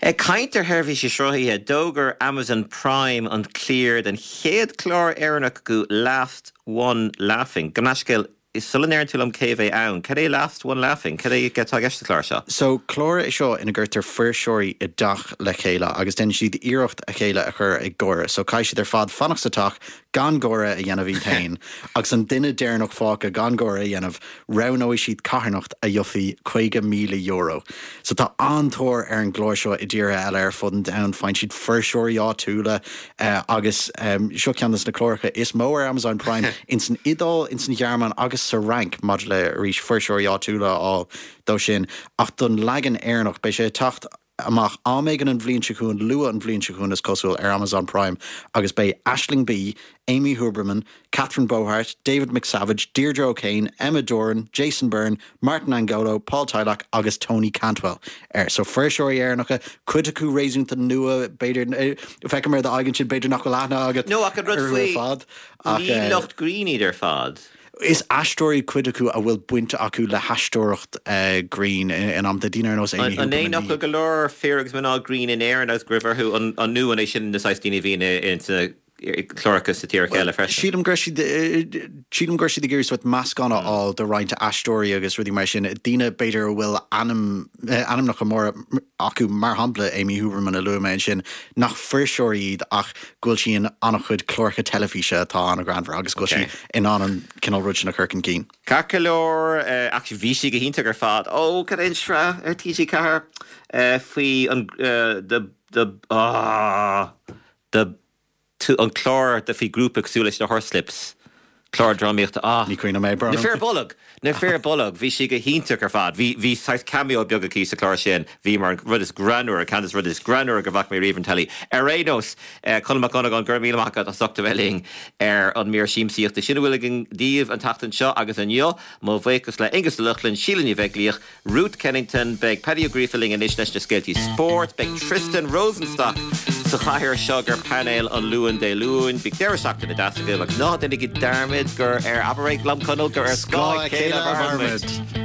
Ag caint ar sheirbhísí sruthaithe, d'fhógair Amazon Prime an cliar den chéad chlár Éireannach acu Last One Laughing. Gabh mo leithscéal, Sula ndeireann tú liom cé a bheidh ann, cad é Last One Laughing? Cad é atá i gceist sa chlár seo? So, clár é seo ina gcuirtear fuirseoirí i dteach le chéile agus déanann siad iarracht a chéile a chur ag gáire. So, caithfidh siad ar fad fanacht sa teach gan gáire a dhéanamh iad féin agus an duine deireanach fágtha gan gáire a dhéanamh, roghnóidh siad carthanacht a gheobhaidh caoga míle euro. So, tá an-tóir ar an gclár seo i dtíortha eile ar fud an domhain. Faigheann siad fuirseoirí áitiúla agus seo ceann de na cláracha is mó ar Amazon Prime ins an Iodáil, ins an Ghearmáin agus sa Fhrainc maidir le, arís, fuirseoirí áitiúla a fháil dó sin. Ach don leagan Éireannach, beidh sé ag teacht amach am éigin an bhliain seo chugainn, luath an bhliain seo chugainn is cosúil, ar Amazon Prime agus beidh Aisling Bea, Amy Huberman, Catherine Bohart, David McSavage, Deirdre O'Kane, Emma Doran, Jason Byrne, Martin Angolo, Paul Tylak agus Tony Cantwell air. So fuirseoirí Éireannacha, cuid acu réasúnta nua, b'fhéidir, feicim ar d'aghaidh ansin, b'fhéidir nach bhfuil aithne agat No, ach an rud orthu ar faoi, fad ach ní lucht grinn iad ar fad. Is aisteoirí cuid acu a bhfuil baint acu le haisteoireacht grinn in amanta, daoine ar nós Amy An é Huberman, nach ní. bhfuil go leor fir agus mná grinn in Éirinn agus go raibh orthu an nó an é sin na saghas daoine a bhíonn ins na cláracha sa tír eile freisin? Sílim go raibh siad, sílim go raibh siad ag iarraidh sórt meascán a fháil de roinnt aisteoirí agus rudaí mar sin, daoine b'fhéidir a bhfuil ainm, ainmneacha móra acu, mar shampla Amy Huberman a luaigh mé ansin, nach fuirseoirí iad ach go bhfuil sí in an-chuid cláracha teilifíse atá an-ghreannmhar agus go bhfuil sí in ann an cineál rud sin a chur chun cinn. Ceart go leor, ach bhí sí go hiontach ar fad. Ó, cad é an sraith ar T G ceathair faoi an the the ah the tú an clár de faoi grúpa cosúil leis na Horslips, clár drámaíochta, ah. Ní cuimhin liom é, Na Fir Bolg! Na Fir Bolg! Bhí sí go hiontach ar fad. Bhí, bhí saghas cameo beag aici sa chlár sin. Bhí mar an rud is greannmhaire, ceann des rudaí is greannmhaire go bhfaca mé riamh ar an teilí. Ar aon nós, Colm Mac Dhonnagáin, go raibh míle maith agat as ucht a bheith linn ar an mír siamsaíochta. Sin a bhfuil againn daoibh an tseachtain seo agus inniu. Mo bhuíochas le Aonghus Ó Lochlainn, Síle Ní Bheaglaoich, Ruth Kennington, beidh Paddy Ó Gríofa linn anois leis na scéaltaí spóirt, beidh Tristan Rosenstock sa chathaoir seo gur painéal an Luain Dé Luain. Bíodh deireadh seachtaine deas agaibh agus ná déanaigí dearmad gur ar, abair é liom Conall, gur ar scáth a chéile a mhairimid.